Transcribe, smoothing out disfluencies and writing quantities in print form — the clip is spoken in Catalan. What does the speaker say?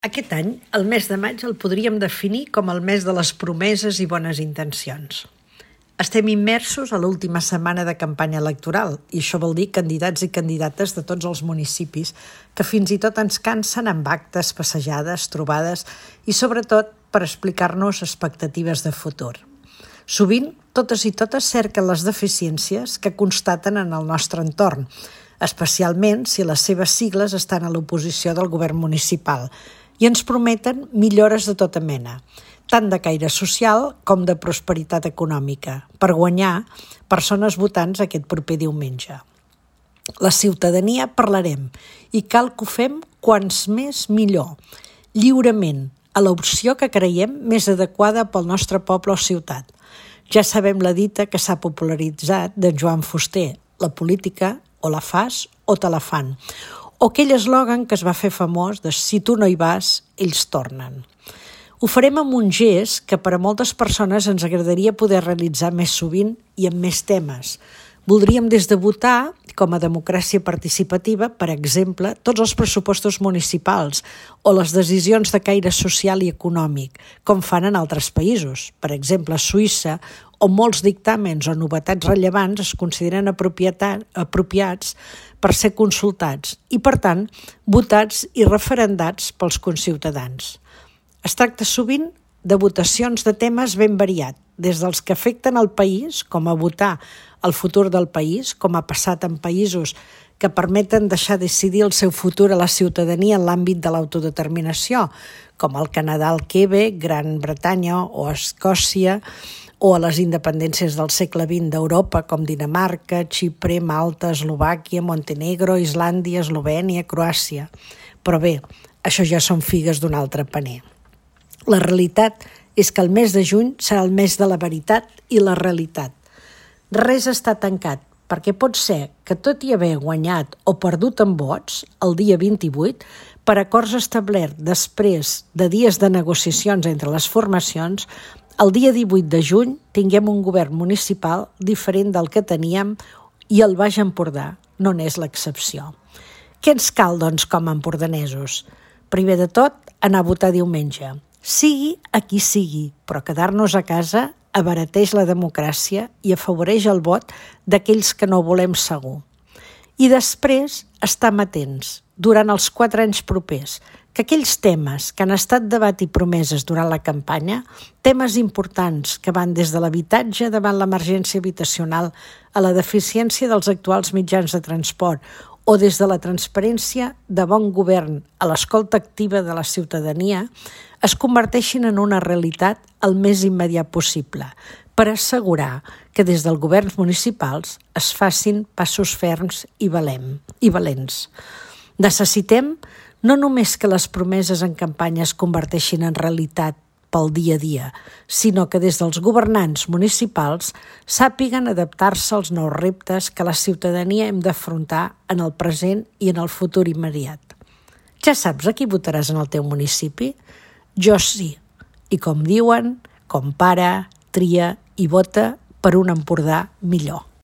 Aquest any, el mes de maig el podríem definir com el mes de les promeses i bones intencions. Estem immersos a l'última setmana de campanya electoral i això vol dir candidats i candidates de tots els municipis que fins i tot ens cansen amb actes, passejades, trobades i sobretot per explicar-nos expectatives de futur. Sovint, totes i totes cerquen les deficiències que constaten en el nostre entorn, especialment si les seves sigles estan a l'oposició del govern municipal, i ens prometen millores de tota mena, tant de caire social com de prosperitat econòmica, per guanyar persones votants aquest proper diumenge. La ciutadania parlarem i cal que ho fem quants més millor, lliurement, a l'opció que creiem més adequada pel nostre poble o ciutat. Ja sabem la dita que s'ha popularitzat de Joan Fuster, la política o la fas o te la fan, o aquell eslògan que es va fer famós de «si tu no hi vas, ells tornen». Ho farem amb un gest que per a moltes persones ens agradaria poder realitzar més sovint i amb més temes. Voldríem des de votar, com a democràcia participativa, per exemple, tots els pressupostos municipals o les decisions de caire social i econòmic, com fan en altres països. Per exemple, a Suïssa, on molts dictàmens o novetats rellevants es consideren apropiats per ser consultats i, per tant, votats i referendats pels conciutadans. Es tracta sovint de votacions de temes ben variats, des dels que afecten el país, com a votar el futur del país, com ha passat en països que permeten deixar decidir el seu futur a la ciutadania en l'àmbit de l'autodeterminació, com el Canadà, el Quebec, Gran Bretanya o Escòcia, o a les independències del segle XX d'Europa, com Dinamarca, Xipre, Malta, Eslovàquia, Montenegro, Islàndia, Eslovènia, Croàcia. Però bé, això ja són figues d'un altre paner. La realitat és que el mes de juny serà el mes de la veritat i la realitat. Res està tancat, perquè pot ser que tot i haver guanyat o perdut en vots, el dia 28, per acords establerts després de dies de negociacions entre les formacions, el dia 18 de juny tinguem un govern municipal diferent del que teníem i el Baix Empordà no n'és l'excepció. Què ens cal, doncs, com a empordanesos? Primer de tot, anar a votar diumenge. Sigui a qui sigui, però quedar-nos a casa abarateix la democràcia i afavoreix el vot d'aquells que no volem segur. I després, estar atents, durant els 4 anys propers, que aquells temes que han estat debat i promeses durant la campanya, temes importants que van des de l'habitatge davant l'emergència habitacional a la deficiència dels actuals mitjans de transport o des de la transparència de bon govern a l'escolta activa de la ciutadania, es converteixin en una realitat el més immediat possible, per assegurar que des dels governs municipals es facin passos ferms i valents. Necessitem no només que les promeses en campanya es converteixin en realitat pel dia a dia, sinó que des dels governants municipals sàpiguen adaptar-se als nous reptes que la ciutadania hem d'afrontar en el present i en el futur immediat. Ja saps a qui votaràs en el teu municipi? Jo sí. I com diuen, compara, tria i vota per un Empordà millor.